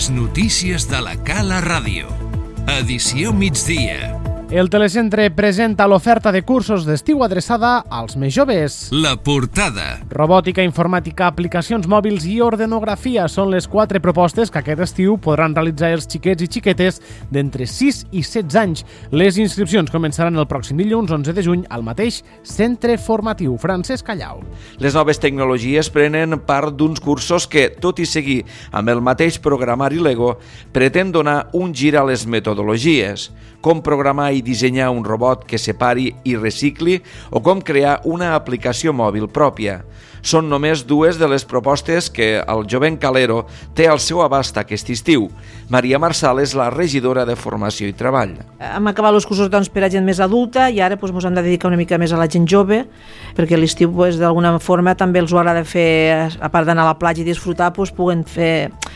Les notícies de la Cala Ràdio. Edició migdia. El Telecentre presenta l'oferta de cursos d'estiu adreçada als més joves. La portada. Robòtica, informàtica, aplicacions mòbils i ordenografia són les 4 propostes que aquest estiu podran realitzar els xiquets i xiquetes d'entre 6 i 16 anys. Les inscripcions començaran el pròxim dilluns 11 de juny al mateix centre formatiu Francesc Callau. Les noves tecnologies prenen part d'uns cursos que, tot i seguir amb el mateix programari Lego, pretén donar un gir a les metodologies, com programar i dissenyar un robot que separi i recicli o com crear una aplicació mòbil pròpia. Són només dues de les propostes que el jovent Calero té al seu abast aquest estiu. Maria Marsal és la regidora de Formació i Treball. Hem acabat els cursos per a gent més adulta i ara ens hem de dedicar una mica més a la gent jove, perquè l'estiu d'alguna forma també els ho agrada fer, a part d'anar a la platja i disfrutar, puguen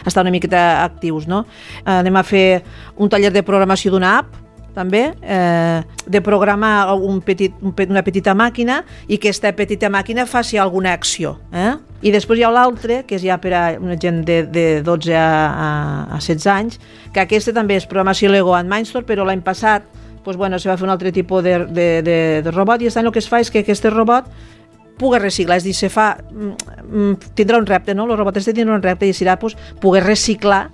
estar una miqueta actius, no? Anem a fer un taller de programació d'una app, també, de programar una petita màquina i que aquesta petita màquina faci alguna acció. I després hi ha l'altre, que és ja per a una gent de 12 a 16 anys, que aquesta també és programació Lego and Mindstorm, però l'any passat se va fer un altre tipus de robot i el que es fa és que aquest robot pugui reciclar, és a dir, tindrà un repte, no? El robot tindrà un repte i serà poder reciclar.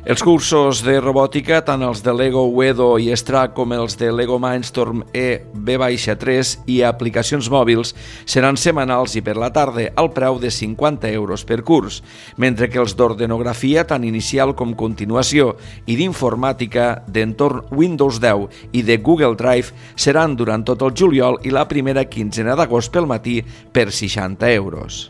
Els cursos de robòtica, tant els de Lego Uedo i Extra com els de Lego Mindstorm EB-3 i aplicacions mòbils, seran setmanals i per la tarda al preu de 50 euros per curs, mentre que els d'ordenografia, tant inicial com continuació, i d'informàtica d'entorn Windows 10 i de Google Drive seran durant tot el juliol i la primera quinzena d'agost pel matí per 60 euros.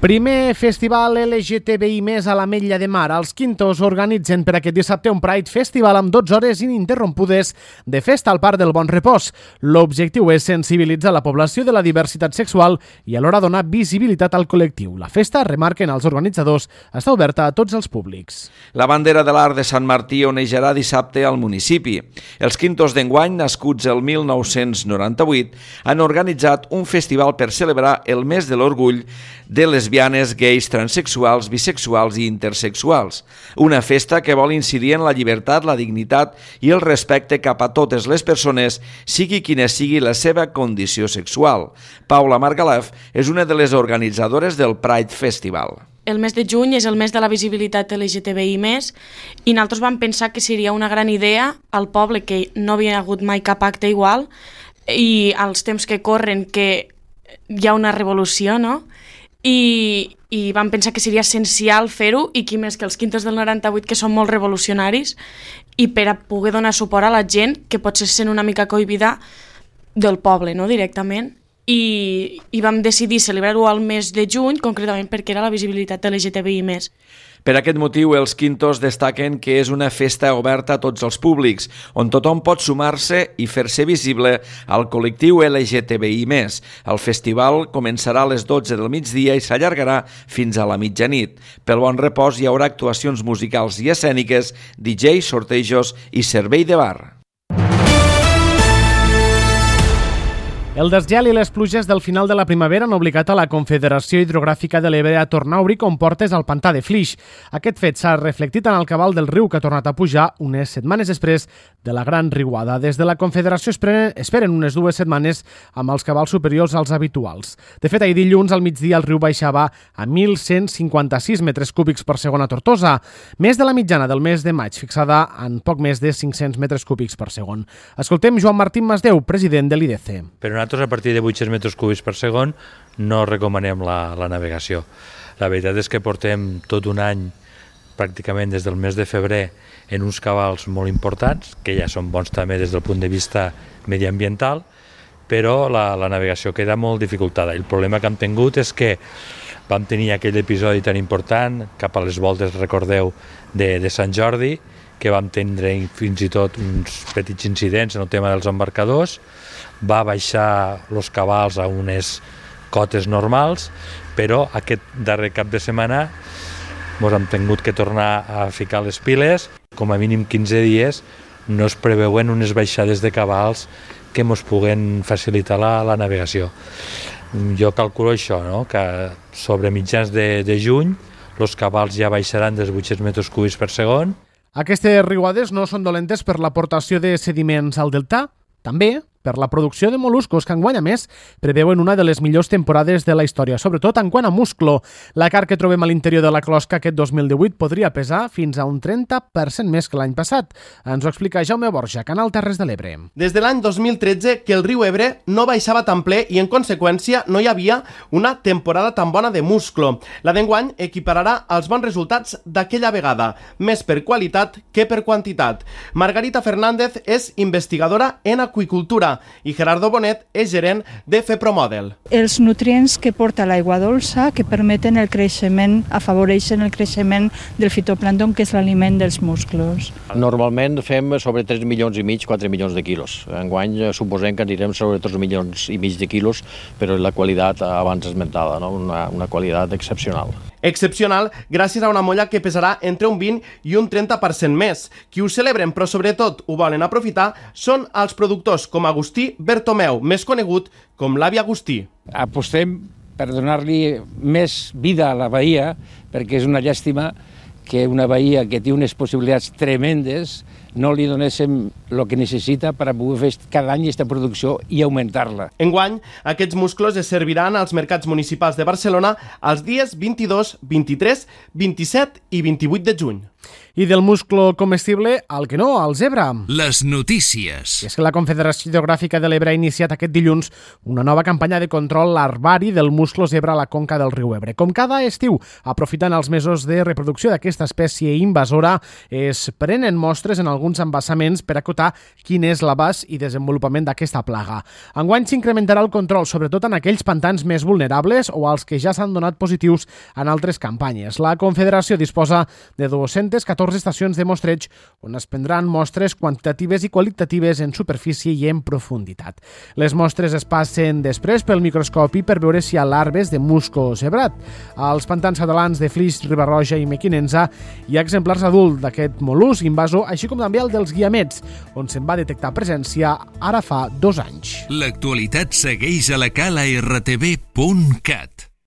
Primer festival LGTBI+ a l'Ametlla de Mar. Els Quintos organitzen per aquest dissabte un Pride Festival amb 12 hores ininterrompudes de festa al Parc del Bon Repòs. L'objectiu és sensibilitzar la població de la diversitat sexual i alhora donar visibilitat al col·lectiu. La festa, remarquen els organitzadors, està oberta a tots els públics. La bandera de l'art de Sant Martí onejarà dissabte al municipi. Els Quintos d'enguany, nascuts el 1998, han organitzat un festival per celebrar el mes de l'orgull de lesbianes, gais, transexuals, bisexuals i intersexuals. Una festa que vol incidir en la llibertat, la dignitat i el respecte cap a totes les persones, sigui quina sigui la seva condició sexual. Paula Margalef és una de les organitzadores del Pride Festival. El mes de juny és el mes de la visibilitat LGTBI+, i nosaltres vam pensar que seria una gran idea al poble, que no havia hagut mai cap acte igual, i als temps que corren que hi ha una revolució, no? I vam pensar que seria essencial fer-ho, i qui més que els Quintos del 98, que són molt revolucionaris, i per a poder donar suport a la gent que potser se sent una mica cohibida del poble, no? Directament. I vam decidir celebrar-ho al mes de juny, concretament perquè era la visibilitat LGTBI+. Per aquest motiu, els Quintos destaquen que és una festa oberta a tots els públics, on tothom pot sumar-se i fer-se visible al col·lectiu LGTBI+. El festival començarà a les 12 del migdia i s'allargarà fins a la mitjanit. Pel Bon Repòs hi haurà actuacions musicals i escèniques, DJs, sortejos i servei de bar. El desgel i les pluges del final de la primavera han obligat a la Confederació Hidrogràfica de l'Ebre a tornar a obrir comportes al pantà de Flix. Aquest fet s'ha reflectit en el cabal del riu, que ha tornat a pujar unes setmanes després de la gran riuada. Des de la Confederació esperen unes 2 setmanes amb els cabals superiors als habituals. De fet, ahir dilluns al migdia el riu baixava a 1.156 metres cúbics per segon a Tortosa, més de la mitjana del mes de maig, fixada en poc més de 500 metres cúbics per segon. Escoltem Joan Martín Masdeu, president de l'IDC. Però nosaltres, a partir de 800 metres cúbics per segon, no recomanem la navegació. La veritat és que portem tot un any, pràcticament des del mes de febrer, en uns cabals molt importants, que ja són bons també des del punt de vista mediambiental, però la navegació queda molt dificultada. El problema que hem tingut és que vam tenir aquell episodi tan important, cap a les voltes, recordeu, de Sant Jordi, que vam tindre fins i tot uns petits incidents en el tema dels embarcadors, va baixar els cabals a unes cotes normals, però aquest darrer cap de setmana ens hem tingut que tornar a ficar les piles. Com a mínim 15 dies no es preveuen unes baixades de cabals que ens puguen facilitar la navegació. Jo calculo això, no? Que sobre mitjans de juny els cabals ja baixaran dels 800 metres cúbics per segon. Aquestes riuades no són dolentes per l'aportació de sediments al delta, també per la producció de mol·luscos que enguany, a més, preveuen una de les millors temporades de la història, sobretot en quant a musclo. La carn que trobem a l'interior de la closca aquest 2018 podria pesar fins a un 30% més que l'any passat. Ens ho explica Jaume Borja, Canal Terres de l'Ebre. Des de l'any 2013 que el riu Ebre no baixava tan ple i, en conseqüència, no hi havia una temporada tan bona de musclo. La d'enguany equipararà els bons resultats d'aquella vegada, més per qualitat que per quantitat. Margarita Fernández és investigadora en aqüicultura i Gerardo Bonet és gerent de FEPROMODEL. Els nutrients que porta l'aigua dolça que permeten el creixement, afavoreixen el creixement del fitoplàncton, que és l'aliment dels musclos. Normalment fem sobre 3 milions i mig, 4 milions de quilos. Enguany suposem que anirem sobre 3 milions i mig de quilos, però la qualitat abans esmentada, no? Una qualitat excepcional. Excepcional gràcies a una molla que pesarà entre un 20 i un 30% més. Qui ho celebren, però sobretot ho volen aprofitar, són els productors com Agustí Bertomeu, més conegut com l'avi Agustí. Apostem per donar-li més vida a la bahia, perquè és una llàstima que una bahia que té unes possibilitats tremendes no li donéssim el que necessita per a poder fer cada any aquesta producció i augmentar-la. Enguany, aquests musclos es serviran als mercats municipals de Barcelona els dies 22, 23, 27 i 28 de juny. I del musclo comestible al que no, al zebra. Les notícies. I és que la Confederació Hidrogràfica de l'Ebre ha iniciat aquest dilluns una nova campanya de control larvari del musclo zebra a la conca del riu Ebre. Com cada estiu, aprofitant els mesos de reproducció d'aquesta espècie invasora, es prenen mostres en alguns embassaments per acotar quin és l'abast i desenvolupament d'aquesta plaga. Enguany s'incrementarà el control, sobretot en aquells pantans més vulnerables o als que ja s'han donat positius en altres campanyes. La Confederació disposa de 214 estacions de mostreig on es prendran mostres quantitatives i qualitatives en superfície i en profunditat. Les mostres es passen després pel microscopi per veure si hi ha larves de musco zebrat. Als pantans catalans de Flix, Riba-roja i Mequinensa hi ha exemplars adults d'aquest mol·lusc invasor, així com també el dels guiamets, on se'n va detectar presència ara fa 2 anys. L'actualitat segueix a la cala rtv.cat.